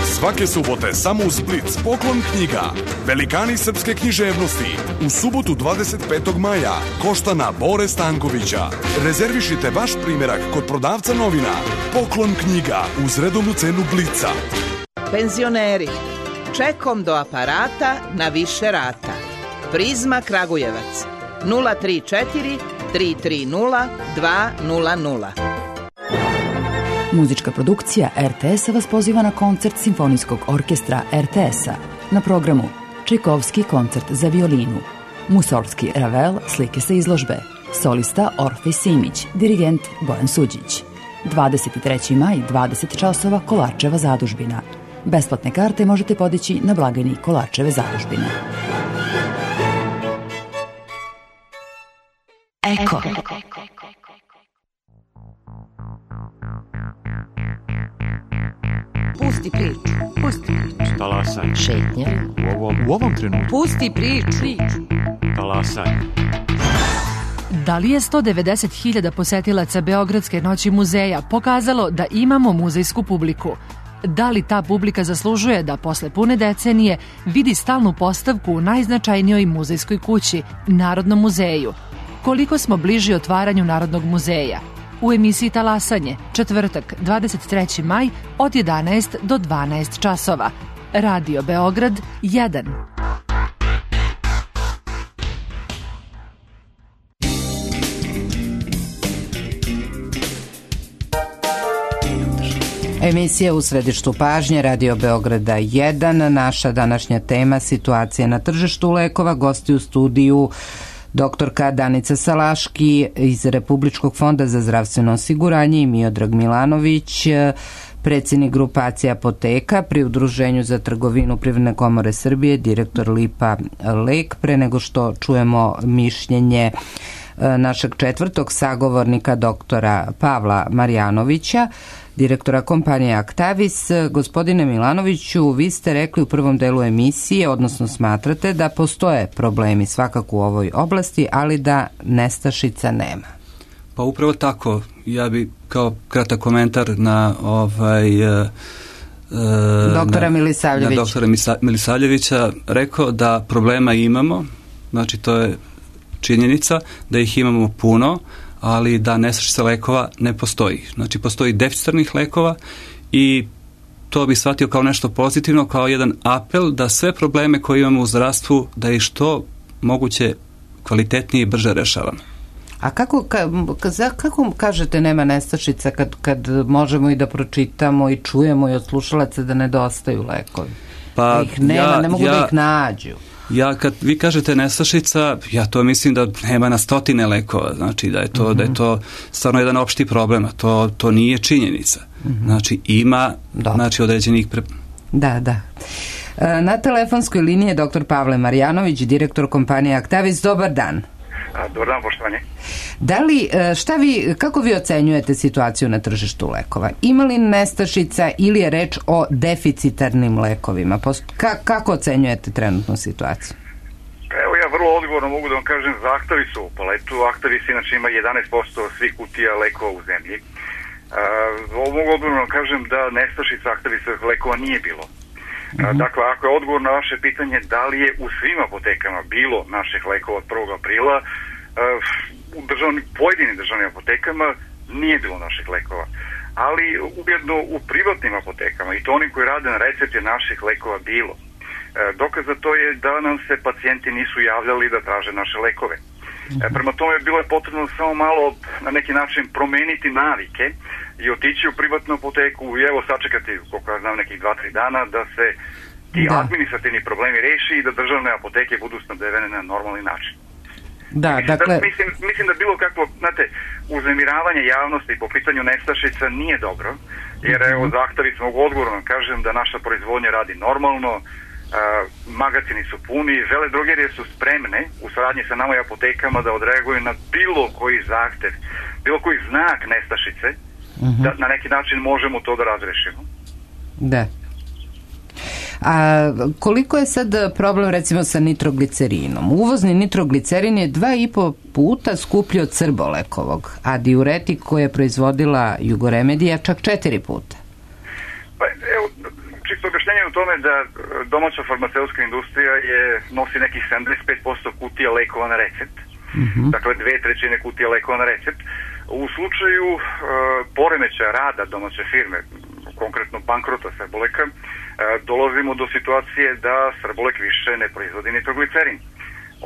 Svake subote samo u Split Poklon knjiga. Velikani srpske književnosti. U subotu 25. maja Koštana Bore Stankovića. Rezervišite vaš primjerak kod prodavca novina. Poklon knjiga uz redovnu cenu Blica. Penzioneri, čekom do aparata na više rata. Prizma Kragujevac 034 330 200. Muzička produkcija RTS-a vas poziva na koncert Simfonijskog orkestra RTS-a. Na programu Čajkovski koncert za violinu, Musorgski Ravel, slike sa izložbe, solista Orfej Simić, dirigent Bojan Suđić. 23. maj, 20 časova, Kolarčeva zadužbina. Besplatne karte možete podići na blagajni Kolarčeve zadužbine. Eko. Pusti priču. Talasaj. Šetnja. U ovom trenutku. Pusti priču. Talasaj. Da li je 190.000 posetilaca Beogradske noći muzeja pokazalo da imamo muzejsku publiku? Da li ta publika zaslužuje da posle pune decenije vidi stalnu postavku u najznačajnijoj muzejskoj kući, Narodnom muzeju? Koliko smo bliži otvaranju Narodnog muzeja? U emisiji Talasanje, četvrtak, 23. maj, od 11 do 12 časova. Radio Beograd 1. Emisija u središtu pažnje Radio Beograda 1. Naša današnja tema situacija na tržištu lekova. Gosti u studiju doktorka Danica Salaški iz Republičkog fonda za zdravstveno osiguranje i Miodrag Milanović, predsjednik grupacije apoteka pri Udruženju za trgovinu Privredne komore Srbije, direktor Lipa Lek. Pre nego što čujemo mišljenje našeg četvrtog sagovornika, doktora Pavla Marjanovića, direktora kompanije Actavis. Gospodine Milanoviću, vi ste rekli u prvom delu emisije, odnosno smatrate da postoje problemi svakako u ovoj oblasti, ali da nestašica nema. Pa upravo tako. Ja bi kao kratak komentar na doktora Milisavljevića rekao da problema imamo, znači to je činjenica, da ih imamo puno, ali da nestašica lekova ne postoji. Znači postoji deficitarnih lekova i to bi shvatio kao nešto pozitivno, kao jedan apel da sve probleme koje imamo u zdravstvu da ih što moguće kvalitetnije i brže rešavamo. A kako kažete nema nestašica kad možemo i da pročitamo i čujemo i od slušalaca da nedostaju lekovi? Pa ih nema, ne mogu da ih nađu. Kad vi kažete nestašica, ja to mislim da nema na stotine lekova, znači da je to stvarno jedan opšti problem, a to nije činjenica. Znači ima određenih Da. Na telefonskoj liniji je dr. Pavle Marjanović, direktor kompanije Actavis. Dobar dan. Dobar dan, poštovanje. Kako vi ocenjujete situaciju na tržištu lekova? Ima li nestašica ili je reč o deficitarnim lekovima? Kako ocenjujete trenutnu situaciju? Evo, ja vrlo odgovorno mogu da vam kažem za Actavis u paletu. Actavis inače ima 11% svih kutija lekova u zemlji. Mogu odgovorno vam kažem da nestašica Actavisovih lekova nije bilo. Dakle, ako je odgovor na vaše pitanje da li je u svim apotekama bilo naših lekova od 1. aprila, u pojedinim državnim apotekama nije bilo naših lekova. Ali ujedno u privatnim apotekama, i to onim koji rade na recept, je naših lekova bilo. Dokaz za to je da nam se pacijenti nisu javljali da traže naše lekove. Prema tome bilo je potrebno samo malo na neki način promeniti navike i otići u privatnu apoteku i evo sačekati, koliko ja znam, nekih 2-3 dana da se ti administrativni problemi reši i da državne apoteke budu snabdevene na normalni način. Mislim da bilo kakvo, znate, uznemiravanje javnosti po pitanju nestašica nije dobro, jer evo za Actavis mogu odgovorno kažem da naša proizvodnja radi normalno, magazini su puni, veledrogerije su spremne u saradnji sa nama i apotekama da odreaguju na bilo koji zahtev, bilo koji znak nestašice, da na neki način možemo to da razrešimo. Da. A koliko je sad problem recimo sa nitroglicerinom? Uvozni nitroglicerin je 2,5 puta skuplji od srbolekovog, a diuretik koji je proizvodila Jugoremedija čak 4 puta. Pa evo, čisto objašnjenje u tome da domaća farmaceutska industrija nosi nekih 75% kutija lekova na recept. Dakle, 2/3 kutija lekova na recept. U slučaju poremećaja rada domaće firme, konkretno bankrota Srboleka, dolazimo do situacije da Srbolek više ne proizvodi nitroglicerin.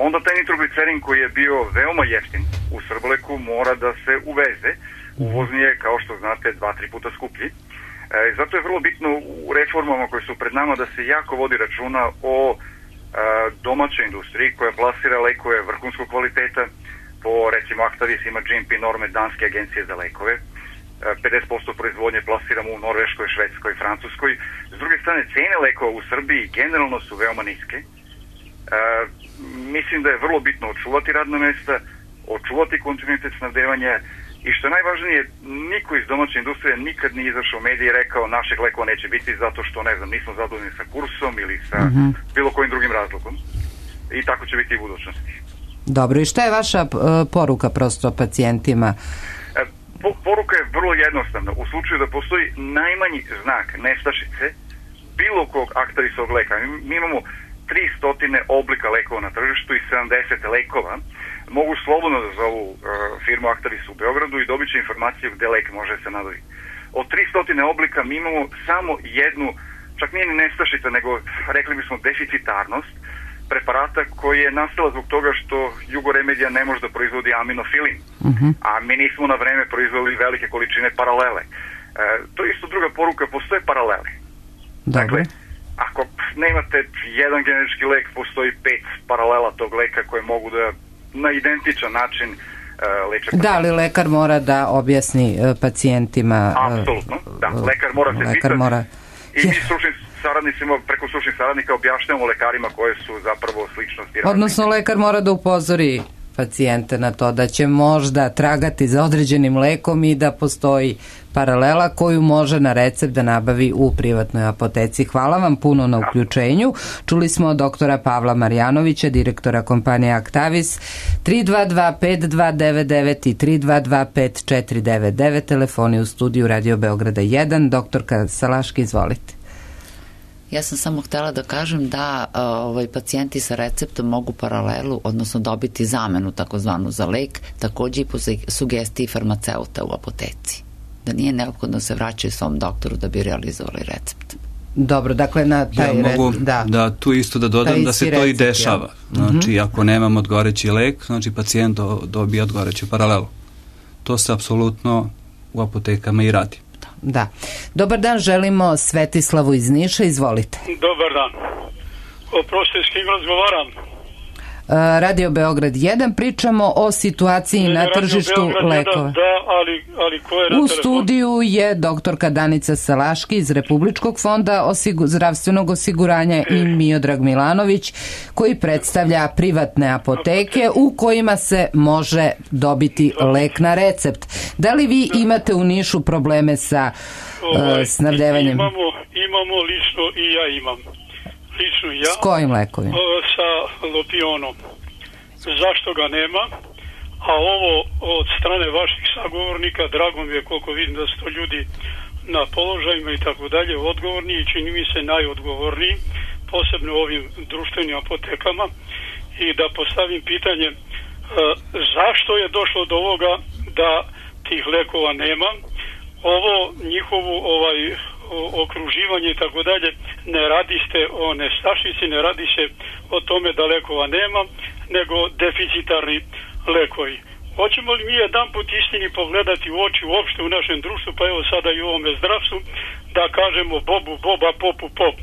Onda taj nitroglicerin koji je bio veoma jeftin u Srboleku mora da se uveze. Uvozni je, kao što znate, 2-3 puta skuplji. Zato je vrlo bitno u reformama koje su pred nama da se jako vodi računa o domaćoj industriji koja plasira lekove vrhunskog kvaliteta. Po, recimo, Actavis ima GMP norme Danske agencije za lekove. 50% proizvodnje plasiramo u Norveškoj, Švedskoj, Francuskoj. S druge strane, cene lekova u Srbiji generalno su veoma niske. Mislim da je vrlo bitno očuvati radna mesta, očuvati kontinuitet snabdevanja i što je najvažnije, niko iz domaće industrije nikad nije izašao u medije i rekao našeg lekova neće biti zato što, ne znam, nismo zadovoljni sa kursom ili sa bilo kojim drugim razlogom. I tako će biti i u budućnosti. Dobro, i šta je vaša poruka prosto pacijentima? Poruka je vrlo jednostavna. U slučaju da postoji najmanji znak nestašice bilo kog Actavisovog leka, mi imamo 300 oblika lekova na tržištu i 70 lekova, mogu slobodno da zovu firmu Actavis u Beogradu i dobit će informaciju gde lek može se nabaviti. Od 300 oblika mi imamo samo jednu, čak nije ni nestašica, nego rekli bismo deficitarnost preparata koji je nastala zbog toga što Jugoremedija ne može da proizvodi aminofilin, a mi nismo na vreme proizvodili velike količine paralele. To je isto druga poruka, postoje paralele. Dakle, ako nemate jedan generički lek, postoji 5 paralela tog leka koje mogu da na identičan način leče pacijenta. Da, ali lekar mora da objasni pacijentima. Apsolutno, da, lekar mora se pitati i mi stručnim saradnicima, preko stručnih saradnika objašnjamo lekarima koje su zapravo sličnosti. Odnosno lekar mora da upozori pacijente na to da će možda tragati za određenim lekom i da postoji paralela koju može na recept da nabavi u privatnoj apoteci. Hvala vam puno na uključenju. Čuli smo doktora Pavla Marjanovića, direktora kompanije Actavis. 322-5299 i 322-5499, telefoni u studiju Radio Beograda 1. Doktorka Salaški, izvolite. Ja sam samo htjela da kažem da pacijenti sa receptom mogu paralelu, odnosno dobiti zamenu takozvanu za lek, također i po sugestiji farmaceuta u apoteci. Da nije neophodno se vraćaju svom doktoru da bi realizovali recept. Dobro, dakle na taj mogu da tu isto da dodam da se to i dešava. Znači, ako nemam odgovoreći lek, znači pacijent dobija odgovoreću paralelu. To se apsolutno u apotekama i radi. Da. Dobar dan, želimo Svetislavu iz Niša, izvolite. Dobar dan. Oprostite, s kim razgovaram? Radio Beograd 1, pričamo o situaciji na tržištu lekova. Da, ali ko je na U studiju je doktorka Danica Salaški iz Republičkog fonda zdravstvenog osiguranja i Miodrag Milanović, koji predstavlja privatne apoteke u kojima se može dobiti lek na recept. Da li vi imate u Nišu probleme sa snabdevanjem? Imamo lično i ja imam. Lično ja. S kojim lekovima? Sa Lopionom. Zašto ga nema? A ovo od strane vaših sagovornika, drago mi je koliko vidim da su to ljudi na položajima i tako dalje, odgovorni i čini mi se najodgovorniji, posebno u ovim društvenim apotekama, i da postavim pitanje zašto je došlo do ovoga da tih lekova nema. Ovo njihovu okruživanje i tako dalje, ne radi se o nestašici, ne radi se o tome da lekova nema, nego deficitarni lekovi. Hoćemo li mi jedan put istini pogledati u oči uopšte u našem društvu, pa evo sada i u ovome zdravstvu, da kažemo bobu boba, popu pop.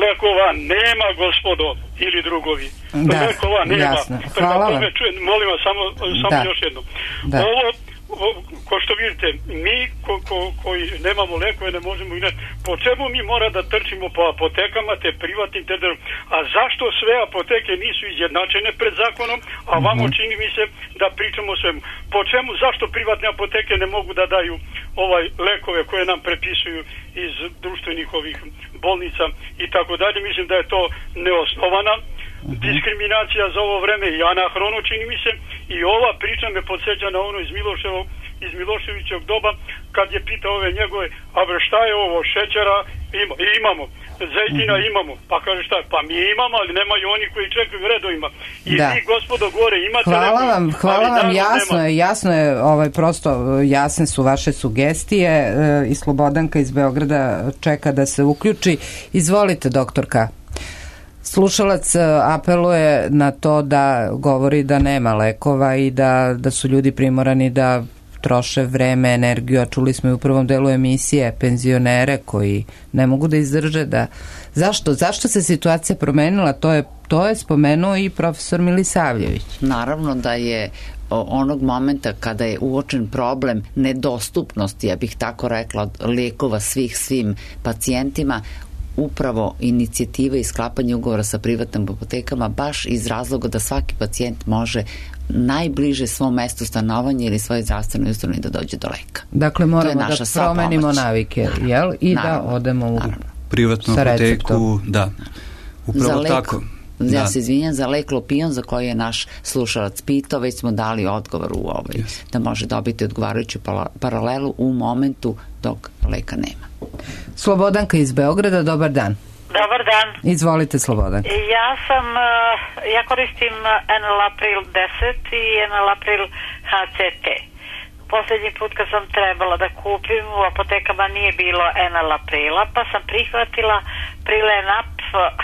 Lekova nema, gospodo, ili drugovi. Da, lekova nema. Jasno. Hvala vam. Molim vas, samo još jedno. Da. Ovo, ko što vidite, mi koji nemamo lekove ne možemo inače. Po čemu mi mora da trčimo po apotekama, te privatnim, a zašto sve apoteke nisu izjednačene pred zakonom, a vamo čini mi se da pričamo o svemu. Po čemu, zašto privatne apoteke ne mogu da daju lekove koje nam prepisuju iz društvenih ovih bolnica i tako dalje. Mislim da je to neosnovana diskriminacija za ovo vreme i anahrono, čini mi se, i ova priča me podsjeća na ono iz Miloševićevog doba, kad je pitao ove njegove, a bre šta je ovo, šećera imamo, zejtina imamo, pa kaže šta, pa mi imamo, ali nemaju oni koji čekaju u redovima. I vi, gospodo, gore imate... Hvala vam, jasno je, prosto jasne su vaše sugestije i Slobodanka iz Beograda čeka da se uključi. Izvolite, doktorka. Slušalac apeluje na to da govori da nema lekova i da su ljudi primorani da troše vreme, energiju, a čuli smo i u prvom delu emisije penzionere koji ne mogu da izdrže da... Zašto se situacija promenila? To je spomenuo i profesor Milisavljević. Naravno da je onog momenta kada je uočen problem nedostupnosti, ja bih tako rekla, lekova svim pacijentima, upravo inicijativa i sklapanje ugovora sa privatnim apotekama baš iz razloga da svaki pacijent može najbliže svom mestu stanovanja ili svojoj zdravstvenoj ustanovi da dođe do leka. Dakle, moramo da promenimo navike, jel? I da odemo u privatnu apoteku, da. Upravo tako. Ja se izvinjam, za lek Lopion za koji je naš slušalac pitao, već smo dali odgovor u da može dobiti odgovarajuću paralelu u momentu dok leka nema. Slobodanka iz Beograda, dobar dan. Dobar dan. Izvolite, Slobodanka. Ja koristim Enalapril 10 i Enalapril HCT. Posljednji put kad sam trebala da kupim, u apotekama nije bilo Enalaprila, pa sam prihvatila Prilenap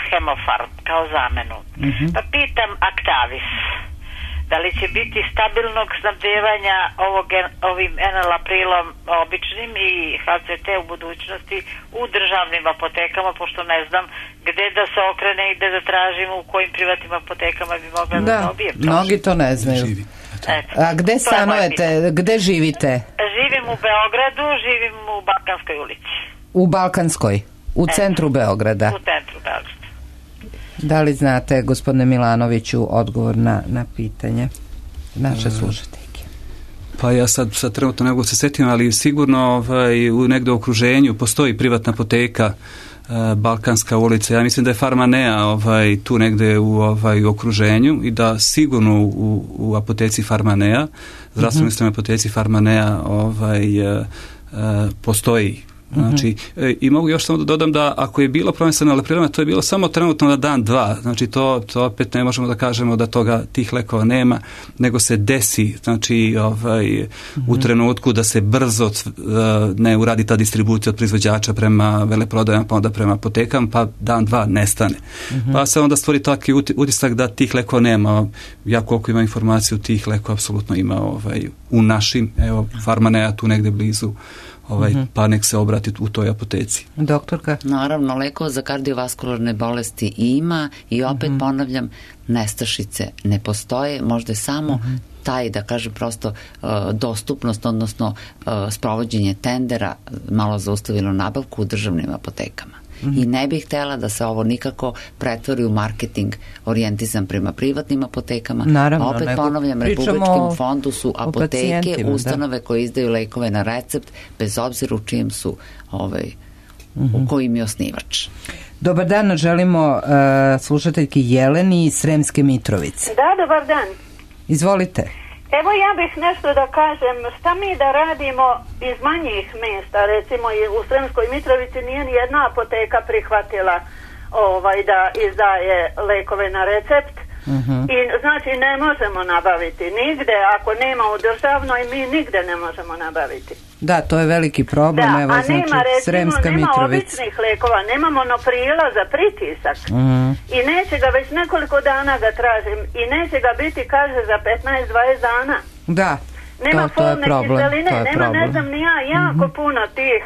Hemofarm kao zamenu. Pa pitam Actavis, da li će biti stabilnog snabdevanja ovim Enalaprilom običnim i HCT u budućnosti u državnim apotekama, pošto ne znam gde da se okrene i gde da tražim, u kojim privatnim apotekama bi mogla da dobijem. Da, mnogi to ne znaju. A gde stanujete, gde živite? Živim u Beogradu, živim u Balkanskoj ulici. U Balkanskoj? U centru Beograda? U centru Beograda. Da li znate, gospodine Milanoviću, odgovor na pitanje? naše slušateljke? Pa ja sad trenutno ne mogu se setim, ali sigurno u negde u okruženju postoji privatna apoteka, Balkanska ulica. Ja mislim da je Farmanea tu negde u okruženju i da sigurno u apoteci Farmanea, zdravstvenom sistemu apoteci Farmanea postoji. Znači, i mogu još samo da dodam da ako je bilo problem sa enalaprilom, to je bilo samo trenutno na dan, dva. Znači, to opet ne možemo da kažemo da tih lekova nema, nego se desi, znači, u trenutku da se brzo ne uradi ta distribucija od proizvođača prema veleprodajama, pa onda prema apotekama, pa dan, dva nestane. Pa se onda stvori taki utisak da tih lekova nema. Ja koliko imam informaciju, tih lekova apsolutno ima u našim, evo, Farmanea tu negde blizu, pa nek se obrati u toj apoteci. Doktorka? Naravno, lekova za kardiovaskularne bolesti ima i opet ponavljam, nestašice ne postoje, možda je samo taj, da kažem prosto, dostupnost, odnosno sprovođenje tendera malo zaustavilo nabavku u državnim apotekama. I ne bih htjela da se ovo nikako pretvori u marketing orijentisan prema privatnim apotekama. Naravno, opet ponavljam, Republičkom fondu su apoteke, ustanove koje izdaju lekove na recept, bez obzira u čijem su u kojim je osnivač. Dobar dan, želimo slušateljki Jeleni iz Sremske Mitrovice. Da, dobar dan. Izvolite. Evo ja bih nešto da kažem, šta mi da radimo iz manjih mjesta, recimo u Sremskoj Mitrovici nije ni jedna apoteka prihvatila da izdaje lekove na recept i znači ne možemo nabaviti nigde, ako nema u državnoj mi nigde ne možemo nabaviti. Da, to je veliki problem, da, evo, znači nema, recimo, Sremska nema Mitrovica. običnih lekova, nema monoprila za pritisak i neće ga, već nekoliko dana ga tražim i neće ga biti, kaže, za 15-20 dana. Da, nema to je problem. Kiseline, nema, ne znam ni ja, jako puno tih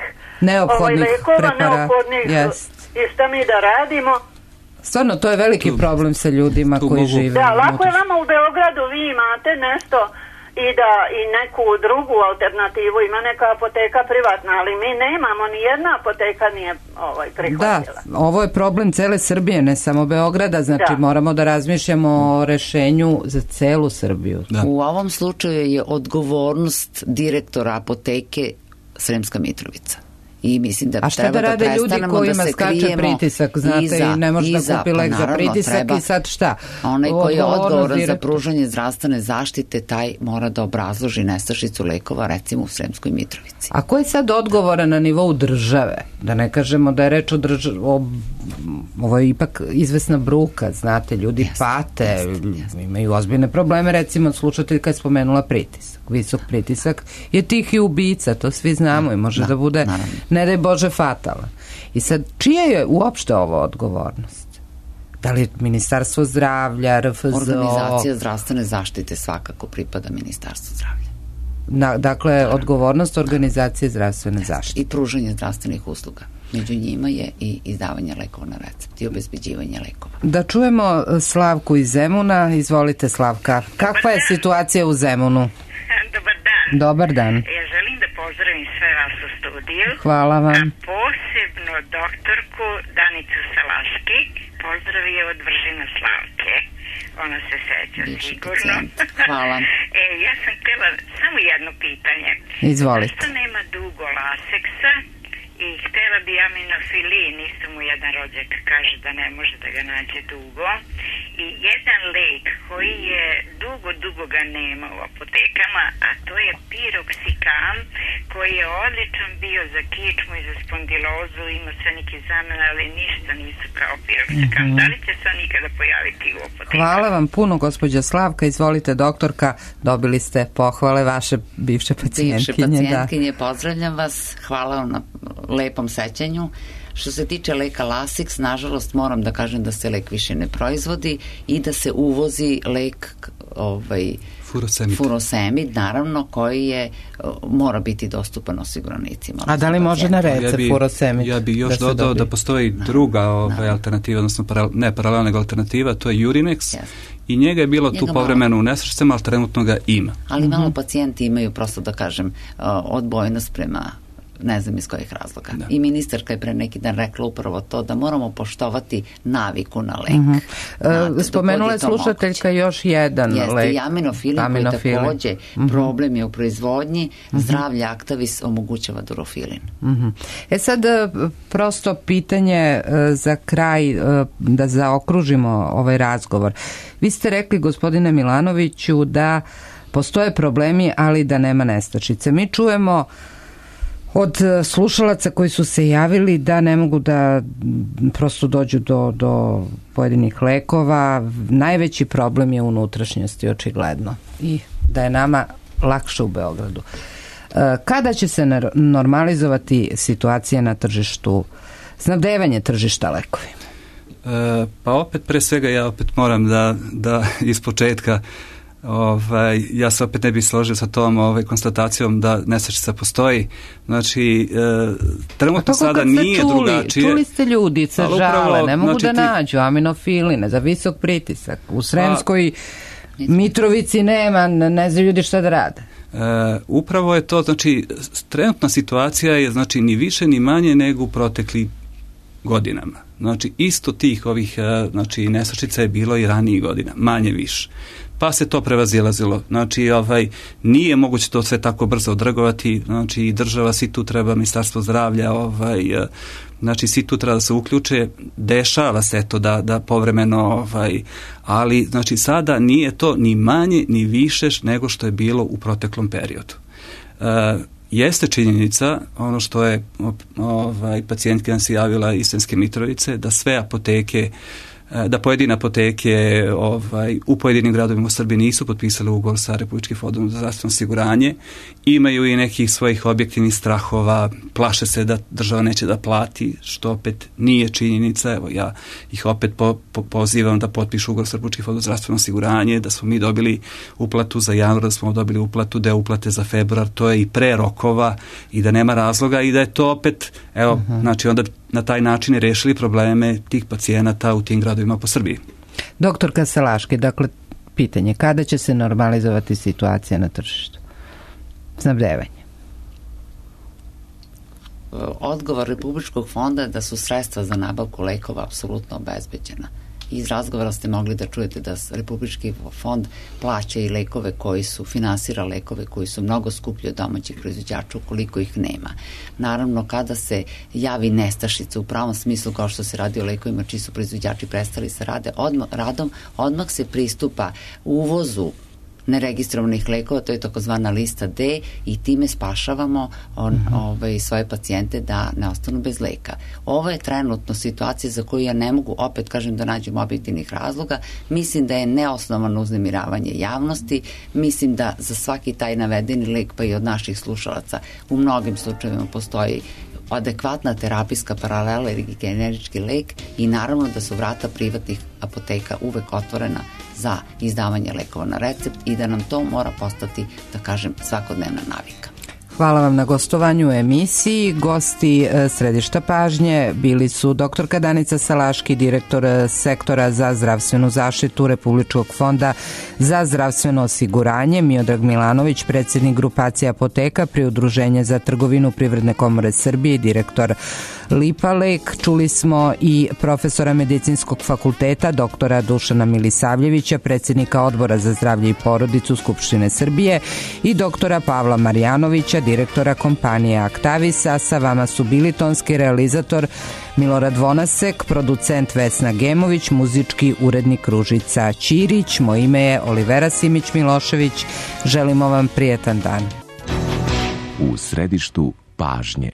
neophodnih lekova, preparata. neophodnih i šta mi da radimo. Stvarno, to je veliki problem sa ljudima koji žive. Da, lako je vama u Beogradu, vi imate nešto i neku drugu alternativu, ima neka apoteka privatna, ali mi nemamo, ni jedna apoteka nije prihvatila. Da, ovo je problem cele Srbije, ne samo Beograda, znači moramo da razmišljamo o rešenju za celu Srbiju. Da. U ovom slučaju je odgovornost direktora apoteke Sremska Mitrovica. I mislim da treba da prestanemo da se krijemo. A šta da rade ljudi kojima skače pritisak, znate, i ne može da kupi lek za pritisak i sad šta? Onaj koji je odgovoran za pružanje zdravstvene zaštite, taj mora da obrazloži nestašicu lekova, recimo u Sremskoj Mitrovici. A ko je sad odgovoran na nivou države? Da ne kažemo da je reč o državi, ovo je ipak izvesna bruka, znate, ljudi pate, imaju ozbiljne probleme, recimo slušatelj kad je spomenula pritisak. Visok pritisak je tihi ubica, to svi znamo i može da bude, ne daj Bože, fatalan. I sad, čija je uopšte ovo odgovornost? Da li Ministarstvo zdravlja, RFZO? Organizacija zdravstvene zaštite svakako pripada Ministarstvu zdravlja. Dakle, odgovornost organizacije zdravstvene zaštite. I pružanje zdravstvenih usluga. Među njima je i izdavanje lekova na recept i obezbeđivanje lekova. Da čujemo Slavku iz Zemuna. Izvolite, Slavka. Kakva je situacija u Zemunu? Dobar dan. Dobar dan. Ja želim da pozdravim sve vas u studiju. Hvala vam. A posebno doktorku Danicu Salaški. Pozdrav je od Vržina Slavke. Ona se seća sigurno. Hvala. Ja sam htjela samo jedno pitanje. Izvolite. Zašto nema dugo laseksa i htjela bi aminofilin, isto mu jedan rođak kaže da ne može da ga nađe dugo, i jedan lek koji je dugo ga nema u apotekama, a to je piroksikam, koji je odličan bio za kičmu i za spondilozu, ima sve neke zamene, ali ništa nisu kao piroksikam. Da li će se nikada pojaviti u apotekama? Hvala vam puno, gospođa Slavka. Izvolite, doktorka, dobili ste pohvale vaše bivše pacijentkinje. Pozdravljam vas, hvala vam na lepom sećanju. Što se tiče leka Lasix, nažalost moram da kažem da se lek više ne proizvodi i da se uvozi lek furosemid, naravno, koji mora biti dostupan osiguranicima. A da li može na recept furosemid? Ja bi još dodao da postoji druga alternativa, odnosno ne paralelna nego alternativa, to je Urinex. I njega je bilo tu povremeno u nesrećama, ali trenutno ga ima. Ali malo pacijenti imaju, prosto da kažem, odbojnost prema ne znam iz kojih razloga. I ministarka je pre neki dan rekla upravo to, da moramo poštovati naviku na lek. Spomenula je slušateljka još jedan lek. Jeste, aminofilin koji takođe problem je u proizvodnji, zdravlje Actavis omogućava durofilin. Sad, prosto pitanje za kraj, da zaokružimo ovaj razgovor. Vi ste rekli, gospodine Milanoviću, da postoje problemi, ali da nema nestašice. Mi čujemo od slušalaca koji su se javili da ne mogu da prosto dođu do pojedinih lekova. Najveći problem je unutrašnjosti, očigledno. I da je nama lakše u Beogradu. Kada će se normalizovati situacija na tržištu, snabdevanje tržišta lekovima? Pa opet, pre svega, ja opet moram da iz početka ja se opet ne bih složio sa tom konstatacijom da nestašica postoji. Znači, trenutno sada nije drugačije. Čuli ste ljudi se žale, ne mogu da nađu aminofiline za visok pritisak. U Sremskoj Mitrovici nema, ne znaju ljudi šta da rade. Upravo je to, znači, trenutna situacija je, znači, ni više ni manje nego u protekli godinama. Znači, isto tih ovih, znači, nestašica je bilo i ranijih godina, manje više. Pa se to prevazilazilo. Znači, nije moguće to sve tako brzo odreagovati. Znači, država, svi tu treba, Ministarstvo zdravlja, znači, svi tu treba da se uključe. Dešava se to da povremeno, ali, znači, sada nije to ni manje, ni više nego što je bilo u proteklom periodu. Jeste činjenica, ono što je pacijentki nam se javila iz Sremske Mitrovice, da sve apoteke, da pojedine apoteke u pojedinim gradovima u Srbiji nisu potpisali ugovor sa Republičkim fondom za zdravstveno osiguranje, imaju i nekih svojih objektivnih strahova, plaše se da država neće da plati, što opet nije činjenica. Evo, ja ih opet pozivam da potpišu ugovor sa Republičkim fondom za zdravstveno osiguranje, da smo mi dobili uplatu za januar, da smo dobili uplatu, deo uplate za februar, to je i pre rokova i da nema razloga i da je to opet, evo, znači onda na taj način je rešili probleme tih pacijenata u tim gradovima po Srbiji. Doktorka Salaški, dakle, pitanje, kada će se normalizovati situacija na tržištu? Snabdevanje. Odgovor Republičkog fonda je da su sredstva za nabavku lekova apsolutno obezbeđena. Iz razgovora ste mogli da čujete da Republički fond plaća i lekove koji su, finansira lekove koji su mnogo skuplji od domaćih proizvođača ukoliko ih nema. Naravno, kada se javi nestašica u pravom smislu, kao što se radi o lekovima čiji su proizvođači prestali sa radom, odmah se pristupa uvozu neregistrovanih lekova, to je takozvana lista D, i time spašavamo svoje pacijente da ne ostanu bez leka. Ovo je trenutno situacija za koju ja ne mogu, opet kažem, da nađem objektivnih razloga. Mislim da je neosnovano uznemiravanje javnosti, mislim da za svaki taj navedeni lek, pa i od naših slušalaca, u mnogim slučajevima postoji adekvatna terapijska paralela ili generički lek i naravno da su vrata privatnih apoteka uvek otvorena za izdavanje lekova na recept i da nam to mora postati, da kažem, svakodnevna navika. Hvala vam na gostovanju u emisiji. Gosti Središta pažnje bili su doktorka Danica Salaški, direktor sektora za zdravstvenu zaštitu Republičkog fonda za zdravstveno osiguranje, Miodrag Milanović, predsjednik grupacije apoteka pri Udruženje za trgovinu Privredne komore Srbije i direktor Lipa Lek. Čuli smo i profesora Medicinskog fakulteta doktora Dušana Milisavljevića, predsjednika Odbora za zdravlje i porodicu Skupštine Srbije, i doktora Pavla Marjanovića, direktora kompanije Actavis. A sa vama su bili tonski realizator Milorad Vonasek, producent Vesna Gemović, muzički urednik Ružica Ćirić. Moje ime je Olivera Simić Milošević. Želimo vam prijetan dan. U središtu pažnje.